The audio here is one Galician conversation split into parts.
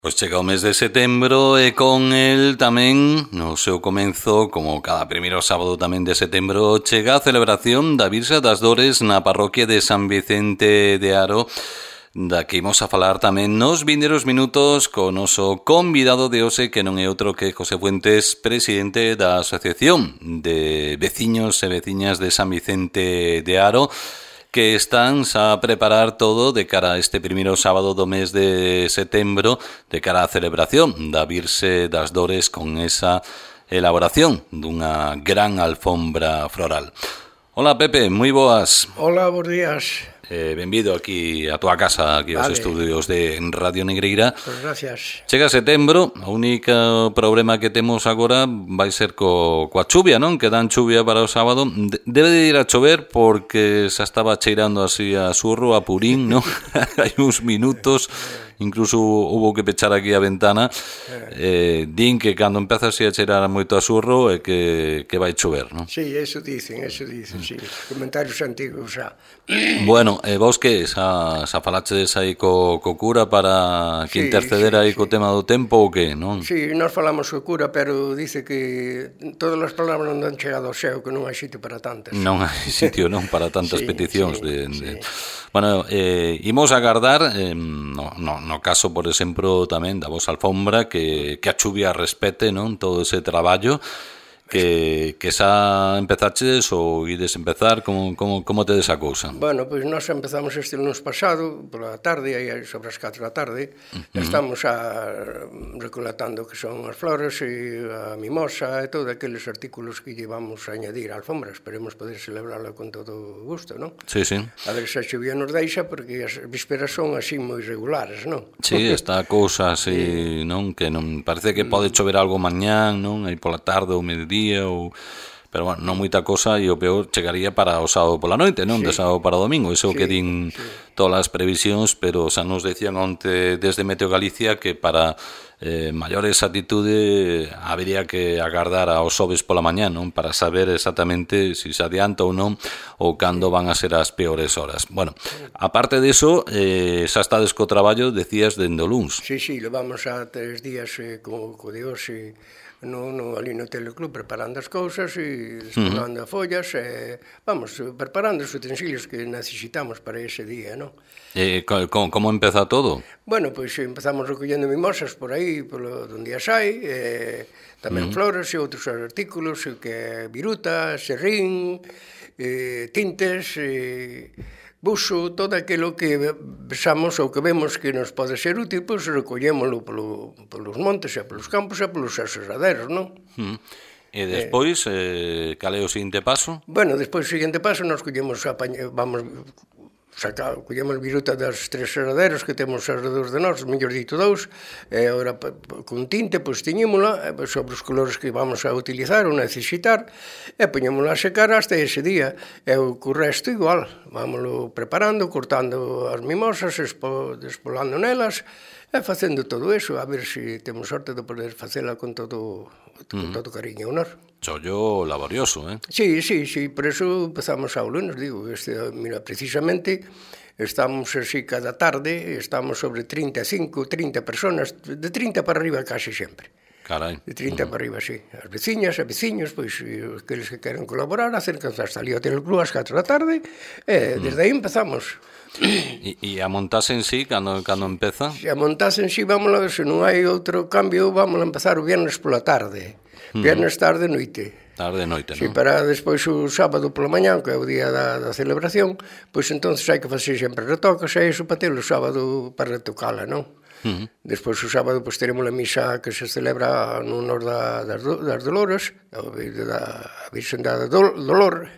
Pois chega o mes de setembro e con el tamén, no seu comenzo, como cada primeiro sábado tamén de setembro, chega a celebración da Virxe das Dores na parroquia de San Vicente de Aro, da que imos a falar tamén nos vindeiros minutos co noso convidado de hoxe, que non é outro que José Fuentes, presidente da Asociación de Veciños e Veciñas de San Vicente de Aro, que están a preparar todo de cara a este primeiro sábado do mes de setembro, de cara á celebración da Virxe das Dores con esa elaboración dunha gran alfombra floral. Hola Pepe, moi boas. Hola, bons días. Benvido aquí a túa casa, aquí aos estudios de Radio Negreira. Pois gracias. Chega setembro, o único problema que temos agora vai ser coa chuvia, non? Que dan chuvia para o sábado. Debe de ir a chover porque xa estaba cheirando así a surro, a purín, non? Hai uns minutos, incluso hubo que pechar aquí a ventana. Din que cando empeza así a cheirar moito a surro é que vai chover, non? Sí, eso dicen, sí. Comentarios antigos xa. Bueno, vos que xa falachedes aí co cura para que interceder aí co tema do tempo ou que, non? Sí, nós falamos co cura, pero dice que todas as palabras non han chegado ao xeo, que non hai sitio para tantas. Non hai sitio, non, para tantas peticións. Bueno, imos agardar, no caso, por exemplo, tamén da vosa alfombra, que a chuvia respete, non, todo ese traballo, que xa empezaches ou ides empezar, como tedes a cousa? Bueno, pois nós empezamos este lunes pasado, pola tarde, aí sobre as 4 da tarde, estamos recolectando que son as flores e a mimosa e todos aqueles artículos que llevamos a añadir á alfombra. Esperemos poder celebrarla con todo gusto, non? Sí. A ver se a chuvia nos deixa, porque as vísperas son así moi regulares, non? Sí, esta cousa así, non? Que non parece que pode chover algo mañán, non? Aí pola tarde ou mediodía, pero bueno, non moita cosa, e o peor chegaría para o sábado pola noite, non? De sábado para o domingo, iso que din todas as previsións, pero xa nos decían onte desde Meteo Galicia que para maior exactitude habería que agardar ao xoves pola mañá, non? Para saber exactamente se se adianta ou non, ou cando van a ser as peores horas. Bueno, aparte diso, xa estades co traballo, decías, dende o luns. Sí, levamos a 3 días co de hoxe ali no teleclub preparando as cousas e despolando as follas, vamos, preparando os utensilios que necesitamos para ese día, non? Como empeza todo? Bueno, pois empezamos recollendo mimosas por aí, onde as hai, tamén flores e outros artículos, que viruta, serrín, tintes, buxo, todo aquilo que vexamos ou que vemos que nos pode ser útil, pois recollémolo polos montes e polos campos e polos aserraderos, non? E despois, cal é o seguinte paso? Bueno, despois o seguinte paso nos collemos viruta das 3 serraderos que temos alrededor de nós, mellor dito 2, e agora con tinte, pois tiñémola sobre os colores que vamos a utilizar ou necesitar, e poñémola a secar hasta ese día, e o resto igual, vámoslo preparando, cortando as mimosas, despolando nelas, e facendo todo eso, a ver se temos sorte de poder facela con todo cariño e honor. Chollo laborioso, Sí, por eso empezamos ao lunes, digo, mira, precisamente estamos así cada tarde, estamos sobre 35, 30 personas, de 30 para arriba casi sempre. Carai. De 30 para arriba, sí. As veciñas e veciños, pois, aqueles que queren colaborar, acércanse hasta ali ao teleclub ás 4 da tarde, e desde aí empezamos. E a montase en sí, cando empeza? Se a montase en sí, vámonos, se non hai outro cambio, vamos a empezar o viernes pola tarde. Viernes tarde, noite. Tarde, noite, non? Si, para despois o sábado pola mañá, que é o día da celebración, pois entonces hai que facer sempre retocas, e iso para ter o sábado para retocala, non? Despois o sábado pois teremos a misa que se celebra no honor das Dolores, da Virxen da Dolor,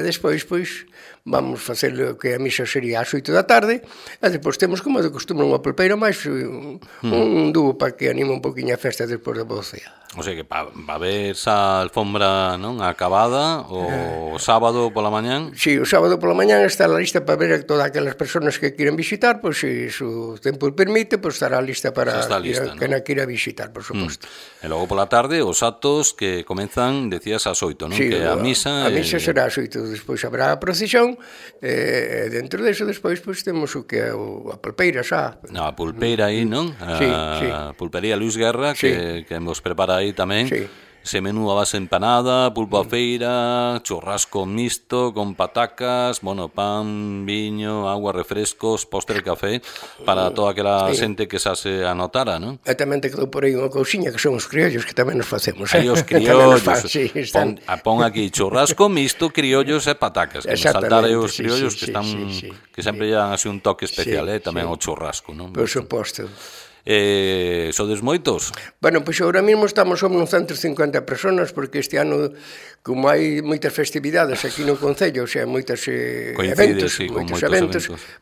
despois pois vamos facer o que a misa sería ás 8 da tarde, e depois temos, como de costume, unha polpeira máis, un dúo para que anime un poquinho a festa despois da vocea. O sea que va a haber esa alfombra, non, acabada o sábado pola mañán? Sí, o sábado pola mañán está lista para ver a todas aquelas persoas que queren visitar, pois se o tempo permite, pois estará lista para quen a queira visitar, por suposto. E logo pola tarde os actos que comenzan, decías, ás 8, non? Sí, que a misa será ás 8, despois habrá a procesión degustación, dentro deso despois pois temos o que é a pulpeira xa. A pulpeira aí, non? A pulpería Luis Guerra, que nos prepara aí tamén. Sí. Ese menú a base empanada, pulpo a feira, churrasco mixto con patacas, bueno, pan, viño, agua, refrescos, postre, café, para toda aquela xente que xa se anotara, non? E tamén te quedou por aí unha cousiña que son os criollos que tamén nos facemos. Aí os criollos, pon aquí churrasco mixto, criollos e patacas, que nos saltar aí os criollos que están, que sempre llevan así un toque especial, tamén o churrasco, non? Por suposto. Sodes moitos? Bueno, pois agora mesmo somos uns 150 personas, porque este ano, como hai moitas festividades aquí no Concello, xa moitos eventos,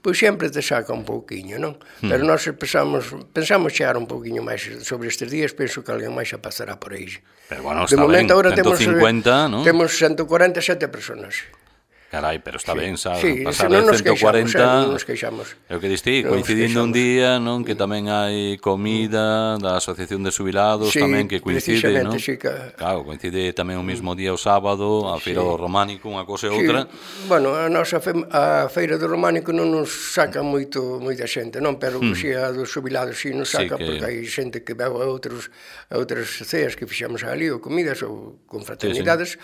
pois sempre te saca un pouquiño, non? Pero nós pensamos chegar un pouquiño máis sobre estes días, penso que alguén máis xa pasará por aí. Pero bueno, está ben, 150, non? Temos 147 personas. Carai, pero está ben, sabes, sí, pasar de 140, non nos queixamos. É o que diste, coincidindo un día, non, que tamén hai comida da Asociación de Xubilados, tamén que coincide, non? Sí, claro, coincide tamén o mesmo día o sábado, a Feira do Románico, unha cosa e outra. Bueno, a nosa a Feira do Románico non nos saca moita xente, non? Pero si a dos xubilados si nos saca, porque hai xente que veu a outras ceas que fixamos ali, ou comidas, ou con fraternidades.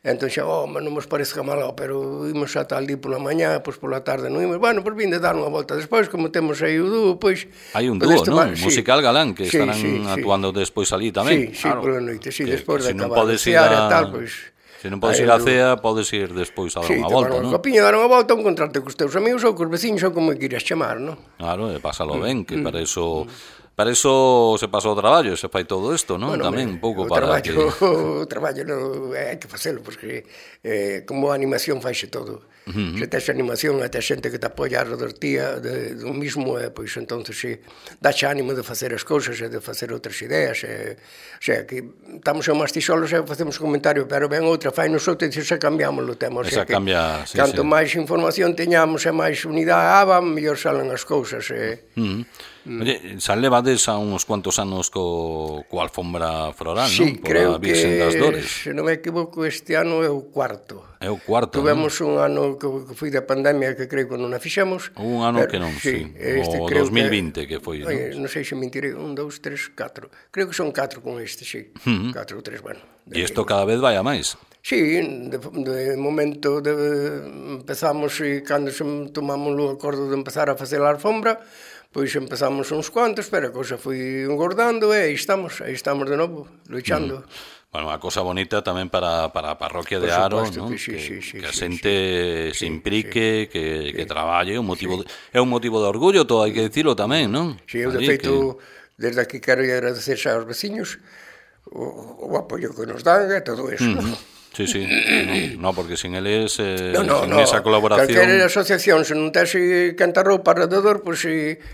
Entón xa, non nos parece malo, pero imos a tal día pola mañá, pois pola tarde non imos. Bueno, pois vinde dar unha volta despois, como temos aí o dúo, pois... Hai un dúo, non? Musical Galán, que estarán actuando despois ali tamén. Sí, pola noite, despois de acabar de cear e tal, pois... Se non podes ir á cea, podes ir despois a dar unha volta, non? Sí, tomar unha copiña, dar unha volta, encontrarte cos teus amigos ou cos veciños, ou como queiras chamar, non? Claro, e pásalo ben, que para eso se pasa o traballo, se fai todo isto, non? Bueno, tamén un pouco para que... O traballo hai que facelo, porque como a animación faise todo. Se tes animación, até xente que te apoia a redor tía do mismo, pois entonces dache ánimo de facer as cousas e de facer outras ideas. O sea, que estamos a mastisolos e facemos un comentario, pero ben outra, fai nosotros e se cambiamos o tema. Esa cambia, sí, canto máis información teñamos e máis unidade, mellor salen as cousas. Oye, xa levades a uns cuantos anos co alfombra floral, non? Sí, creo que, das Dores. se non me equivoco, este ano é o cuarto. É o cuarto, Tuvemos un ano que foi da pandemia que creo que non a fixemos. Un ano que non, sí. O 2020 que foi, non? Non sei se mentirei, 1, 2, 3, 4. Creo que son 4 con este, sí. 4 ou 3, bueno. E isto cada vez vai a máis. Sí, de momento empezamos e cando tomamos o acordo de empezar a facer a alfombra, pois empezamos uns cuantos, pero a cousa foi engordando e aí estamos de novo, luchando. Bueno, unha cosa bonita tamén para a parroquia de Aro, non? Que a xente se implique, que traballe, é un motivo de orgullo, todo hai que dicilo tamén, non? Si, eu de feito, desde aquí quero agradecer aos veciños o apoio que nos dan e todo eso, non? Sí, no, porque sin eles, sin esa colaboración... Calquera asociación, se non tese canta roupa alrededor, pois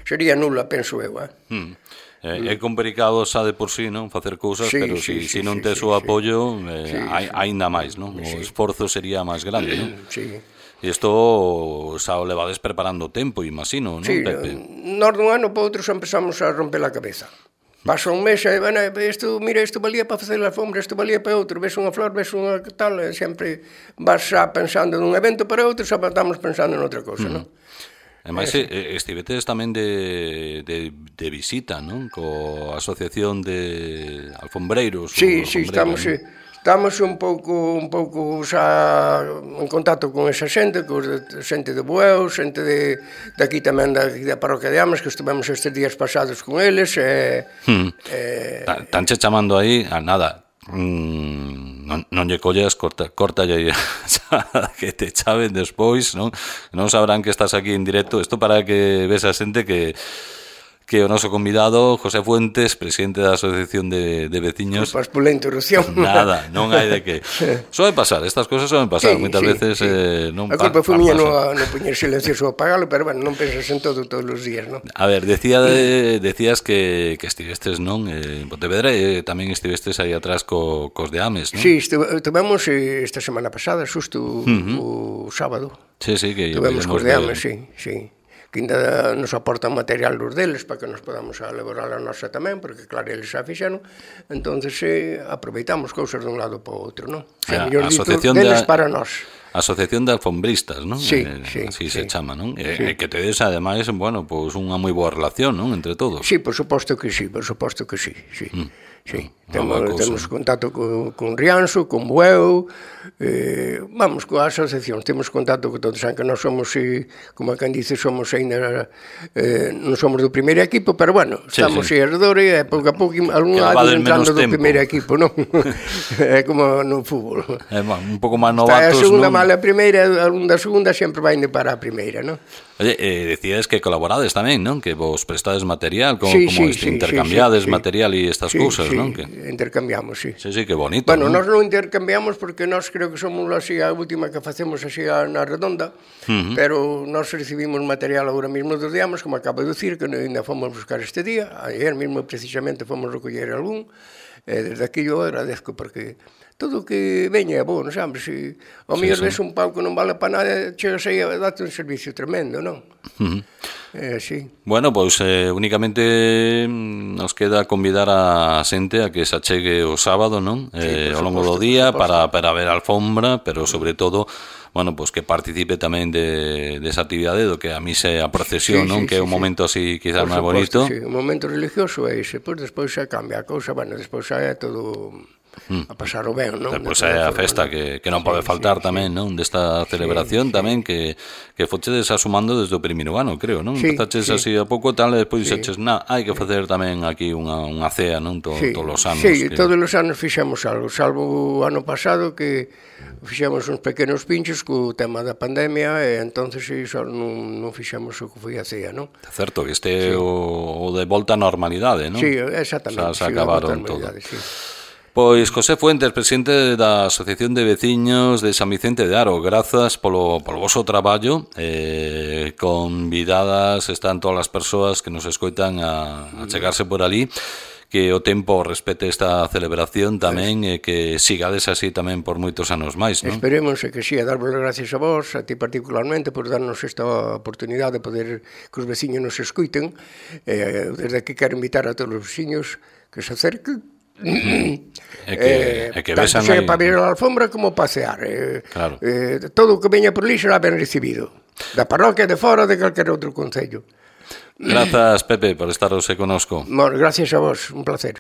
sería nula, penso eu. É complicado xa de por sí, non? Facer cousas, pero se non tes o apoio, aínda máis, non? O esforzo sería máis grande, non? Sí. E isto xa o levades preparando tempo, imagino, non, Pepe? Nós dun ano para outro xa empezamos a romper a cabeza. Pasa un mes e, mira, isto valía para facer a alfombra, isto valía para outro, ves unha flor, ves unha tal, sempre vas xa pensando nun evento para outro, xa estamos pensando en outra cousa, non? E máis, estivetes tamén de visita, non? Co Asociación de Alfombreiros. Sí, estamos un pouco xa en contacto con esa xente, xente de Bueu, xente de aquí tamén da parroquia de Ames, que estivemos estes días pasados con eles. Tanche chamando aí a nada, non lle collas, cortalle que te chaven despois, non sabrán que estás aquí en directo. Isto para que ves a xente que o noso convidado, José Fuentes, presidente da Asociación de Veciños... Culpas pola interrupción. Nada, non hai de que... Soen pasar, estas cosas soen pasar, moitas veces non pasan. A culpa foi miña non poñer silencioso ou apagalo, pero bueno, non pensas en todo todos os días, non? A ver, decías que estivestes, non? En Pontevedra e tamén estivestes aí atrás cos de Ames, non? Sí, estivemos esta semana pasada, xusto o sábado. Sí, que... Estivemos cos de Ames, sí. que ainda nos aportan material dos deles para que nos podamos elaborar a nosa tamén, porque claro, eles xa fixeron, entonces aproveitamos cousas dun lado para o outro, non? A Mellor dito, asociación deles para nós. Asociación de Alfombristas, non? Sí, así se chama, non? Sí. Que tedes, ademais, bueno, pois unha moi boa relación, non? Entre todos. Sí, por suposto que sí, sí. Sí, temos contacto con Rianxo, con Bueu, vamos, coa asociación, temos contacto con todos, aunque nós somos, como a quen dice, somos ainda, non somos do primeiro equipo, pero bueno, estamos alrededor e pouco a pouco algún lado entrando do primeiro equipo, non? É como no fútbol. É un pouco máis novatos, non? A segunda mala a primeira, algún da segunda sempre vai indo para a primeira, non? Oye, decíades que colaborades tamén, non? Que vos prestades material, como intercambiades material e estas cousas, non? Sí, intercambiamos, sí. Sí, que bonito. Bueno, nós non intercambiamos porque nós creo que somos así a última que facemos así na redonda, pero nós recibimos material agora mesmo dos diamos, como acabo de dicir, que ainda fomos buscar este día, ayer mesmo precisamente fomos recoller algún, desde aquí eu agradezco porque todo o que veña é bo, non sabes? Se ao mellor ves un pau que non vale para nada, chegas aí a date un servicio tremendo, non? Sí. Bueno, pois únicamente nos queda convidar a xente a que se achegue o sábado, non? Ao longo do día para ver a alfombra, pero sobre todo, bueno, pois que participe tamén desa actividade do que a misa e a procesión, non? Que é un momento así quizás máis bonito. Sí, un momento religioso é ese, pois despois xa cambia a cousa, bueno, despois xa é todo a pasar o ben, non? Pois é a festa que non pode faltar tamén, non? Desta celebración tamén que fochedes asumando desde o primeiro ano, creo, non? Empezaches así a pouco tal e despois dixeches, hai que facer tamén aquí unha cea, non? Todos os anos. Sí, todos os anos fixemos algo, salvo o ano pasado que fixemos uns pequenos pinchos co tema da pandemia e entonces iso non fixemos o que foi a cea, non? Certo, que este o de volta á normalidade, non? Sí, exactamente. Se acabaron todo. Pois José Fuentes, presidente da Asociación de Veciños de San Vicente de Aro, grazas polo voso traballo, convidadas están todas as persoas que nos escoitan a chegarse por ali, que o tempo respete esta celebración tamén e que sigades así tamén por moitos anos máis, non? Esperemos que sí, a darvos gracias a vos, a ti particularmente, por darnos esta oportunidade de poder que os veciños nos escoiten. Desde aquí quero invitar a todos os veciños que se acerquen, que tanto sea para ver a alfombra como pasear, claro. Todo o que veña por ali será ben recibido, da parroquia, de fora, de calquer outro concello. Grazas, Pepe, por estar hoxe conosco. Gracias a vos, un placer.